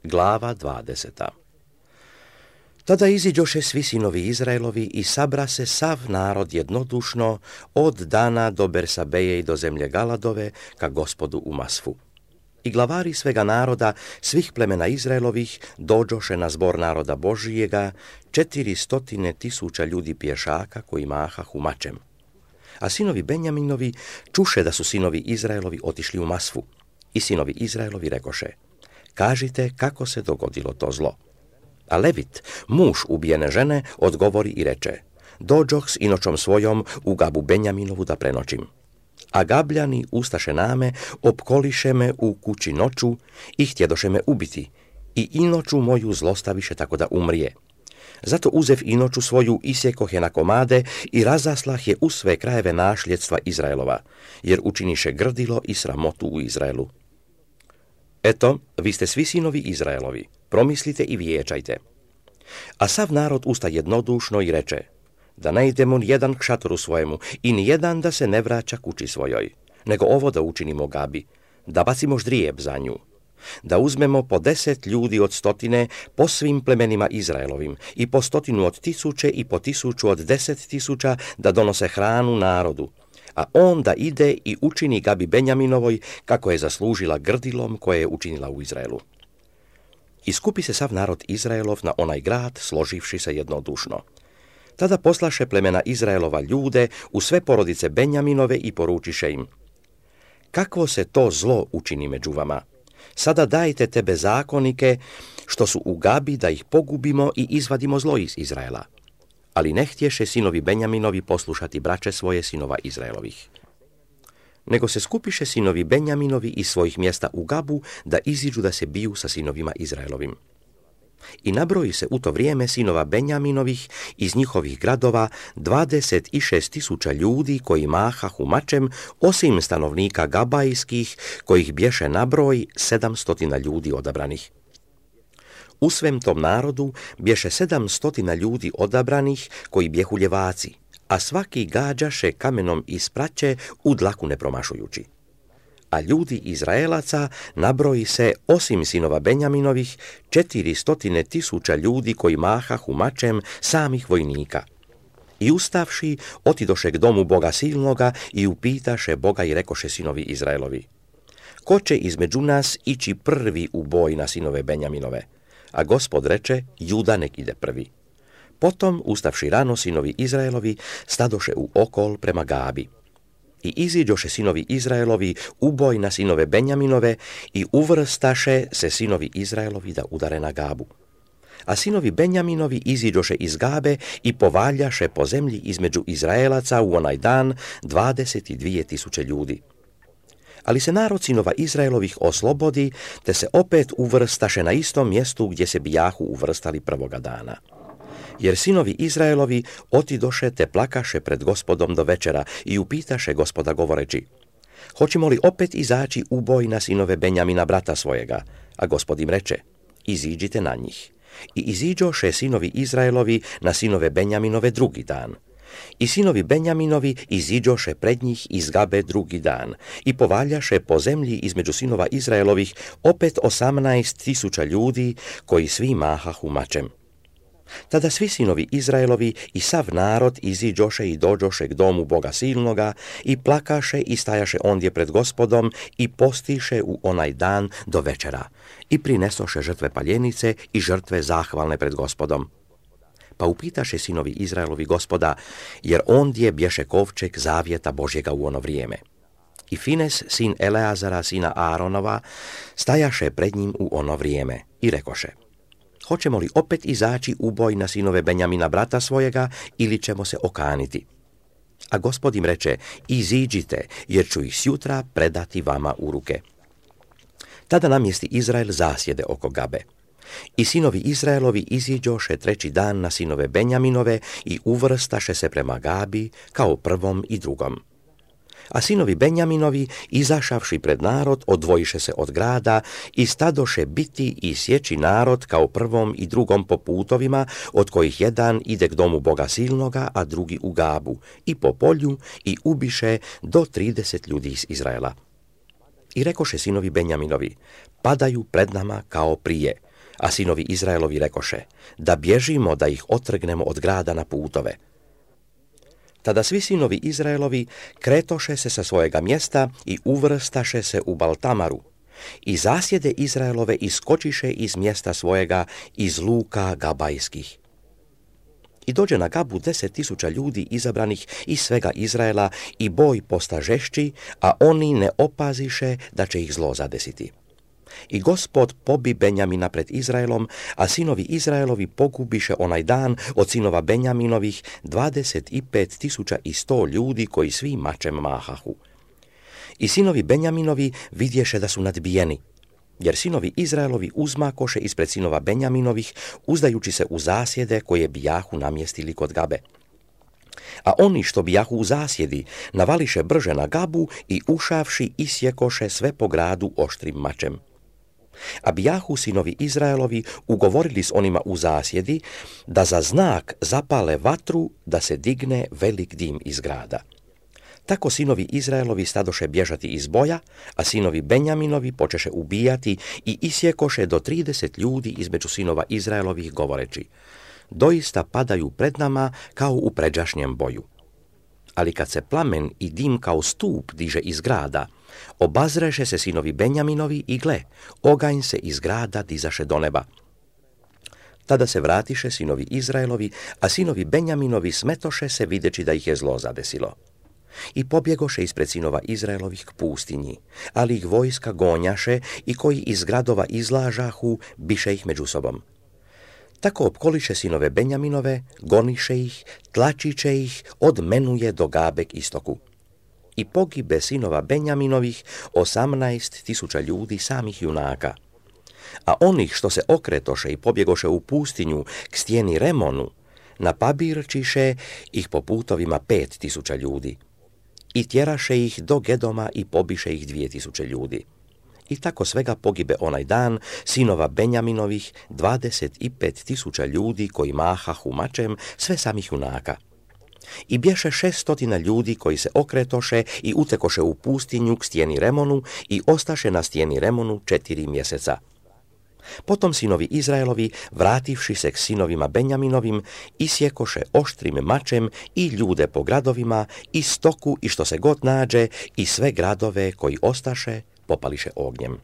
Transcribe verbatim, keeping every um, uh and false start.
Glava dvadeseta. Tada iziđoše svi sinovi Izraelovi i sabra se sav narod jednodušno od Dana do Bersabeje i do zemlje Galadove ka Gospodu u Masfu. I glavari svega naroda, svih plemena Izraelovih, dođoše na zbor naroda Božijega, četiri stotine tisuća ljudi pješaka koji mahahu mačem. A sinovi Benjaminovi čuše da su sinovi Izraelovi otišli u Masfu. I sinovi Izraelovi rekoše: kažite kako se dogodilo to zlo. A Levit, muž ubijene žene, odgovori i reče: dođoh s inočom svojom u Gabu Benjaminovu da prenoćim. A Gabljani ustaše name, opkoliše me u kući noću i htjedoše me ubiti, i inoću moju zlostaviše tako da umrije. Zato uzev inoću svoju, isjekoh je na komade i razaslah je u sve krajeve našljedstva Izraelova, jer učiniše grdilo i sramotu u Izraelu. Eto, vi ste svi sinovi Izraelovi, promislite i vijećajte. A sav narod usta jednodušno i reče: da ne idemo nijedan k šatoru svojemu i nijedan da se ne vraća kući svojoj, nego ovo da učinimo Gabi, da bacimo ždrijeb za nju, da uzmemo po deset ljudi od stotine po svim plemenima Izraelovim i po stotinu od tisuće i po tisuću od deset tisuća da donose hranu narodu, a on da ide i učini Gabi Benjaminovoj kako je zaslužila grdilom koje je učinila u Izraelu. I skupi se sav narod Izraelov na onaj grad, složivši se jednodušno. Tada poslaše plemena Izraelova ljude u sve porodice Benjaminove i poručiše im: kakvo se to zlo učini među vama? Sada dajte te bezakonike što su u Gabi da ih pogubimo i izvadimo zlo iz Izraela. Ali ne htješe sinovi Benjaminovi poslušati braće svoje sinova Izraelovih. Nego se skupiše sinovi Benjaminovi iz svojih mjesta u Gabu da iziđu da se biju sa sinovima Izraelovim. I nabroji se u to vrijeme sinova Benjaminovih iz njihovih gradova dvadeset šest tisuća ljudi koji mahahu mačem, osim stanovnika Gabajskih, kojih bješe nabroj sedamstotina ljudi odabranih. U svem tom narodu bješe sedamstotina ljudi odabranih koji bjehu ljevaci, a svaki gađaše kamenom iz praće u dlaku ne promašujući. A ljudi Izraelaca nabroji se, osim sinova Benjaminovih, četiri stotine tisuća ljudi koji mahahu mačem, samih vojnika. I ustavši, otidoše k domu Boga silnoga i upitaše Boga i rekoše sinovi Izraelovi: ko će između nas ići prvi u boj na sinove Benjaminove? A Gospod reče: Juda nek ide prvi. Potom, ustavši rano, sinovi Izraelovi stadoše u okol prema Gabi. I iziđoše sinovi Izraelovi u boj na sinove Benjaminove i uvrstaše se sinovi Izraelovi da udare na Gabu. A sinovi Benjaminovi iziđoše iz Gabe i povaljaše po zemlji između Izraelaca u onaj dan dvadeset dvije tisuće ljudi. Ali se narod sinova Izraelovih oslobodi, te se opet uvrstaše na istom mjestu gdje se bijahu uvrstali prvoga dana. Jer sinovi Izraelovi otidoše te plakaše pred Gospodom do večera i upitaše Gospoda govoreći: hoćemo li opet izaći u boj na sinove Benjamina brata svojega? A Gospod im reče: iziđite na njih. I iziđoše sinovi Izraelovi na sinove Benjaminove drugi dan. I sinovi Benjaminovi iziđoše pred njih iz Gabe drugi dan i povaljaše po zemlji između sinova Izraelovih opet osamnaest tisuća ljudi koji svi mahahu mačem. Tada svi sinovi Izraelovi i sav narod iziđoše i dođoše k domu Boga silnoga i plakaše i stajaše ondje pred Gospodom i postiše u onaj dan do večera i prinesoše žrtve paljenice i žrtve zahvalne pred Gospodom. Pa upitaše sinovi Izraelovi Gospoda, jer ondje bješe kovčeg zavjeta Božjega u ono vrijeme. I Fines, sin Eleazara, sina Aaronova, stajaše pred njim u ono vrijeme i rekoše: hoćemo li opet izaći u boj na sinove Benjamina brata svojega ili ćemo se okaniti? A Gospod im reče: iziđite, jer ću ih sjutra predati vama u ruke. Tada namjesti Izrael zasjede oko Gabe. I sinovi Izraelovi iziđoše treći dan na sinove Benjaminove i uvrstaše se prema Gabi kao prvom i drugom. A sinovi Benjaminovi, izašavši pred narod, odvojiše se od grada i stadoše biti i sjeći narod kao prvom i drugom po putovima, od kojih jedan ide k domu Boga silnoga, a drugi u Gabu, i po polju, i ubiše do trideset ljudi iz Izraela. I rekoše sinovi Benjaminovi: padaju pred nama kao prije, A sinovi Izraelovi rekoše, da bježimo da ih otrgnemo od grada na putove. Tada svi sinovi Izraelovi kretoše se sa svojega mjesta i uvrstaše se u Baltamaru. I zasjede Izraelove iskočiše iz mjesta svojega iz luka gabajskih. I dođe na Gabu deset tisuća ljudi izabranih iz svega Izraela i boj posta žešći, a oni ne opaziše da će ih zlo zadesiti. I Gospod pobi Benjamina pred Izraelom, a sinovi Izraelovi pogubiše onaj dan od sinova Benjaminovih dvadeset pet tisuća i sto ljudi koji svi mačem mahahu. I sinovi Benjaminovi vidješe da su nadbijeni, jer sinovi Izraelovi uzmakoše ispred sinova Benjaminovih, uzdajući se u zasjede koje bijahu namjestili kod Gabe. A oni što bijahu u zasjedi navališe brže na Gabu i ušavši isjekoše sve po gradu oštrim mačem. A bijahu sinovi Izraelovi ugovorili s onima u zasjedi da za znak zapale vatru da se digne velik dim iz grada. Tako sinovi Izraelovi stadoše bježati iz boja, a sinovi Benjaminovi počeše ubijati i isjekoše do trideset ljudi između sinova Izraelovih govoreći, doista padaju pred nama kao u pređašnjem boju. Ali kad se plamen i dim kao stup diže iz grada, obazreše se sinovi Benjaminovi i gle, oganj se iz grada dizaše do neba. Tada se vratiše sinovi Izraelovi, a sinovi Benjaminovi smetoše se videći da ih je zlo zadesilo. I pobjegoše ispred sinova Izraelovih k pustinji, ali ih vojska gonjaše i koji iz gradova izlažahu, biše ih među sobom. Tako opkoliše sinove Benjaminove, goniše ih, tlačiće ih, od Menuje do Gabe k istoku. I pogibe sinova Benjaminovih osamnaest tisuća ljudi samih junaka. A onih što se okretoše i pobjegoše u pustinju k stijeni Remonu, napabirčiše ih po putovima pet tisuća ljudi. I tjeraše ih do Gedoma i pobiše ih dvije tisuće ljudi. I tako svega pogibe onaj dan sinova Benjaminovih dvadeset pet tisuća ljudi koji mahahu mačem, sve samih junaka. I bješe šeststotina ljudi koji se okretoše i utekoše u pustinju k stijeni Remonu i ostaše na stijeni Remonu četiri mjeseca. Potom sinovi Izraelovi, vrativši se k sinovima Benjaminovim, isjekoše oštrim mačem i ljude po gradovima, i stoku i što se god nađe, i sve gradove koji ostaše popališe ognjem.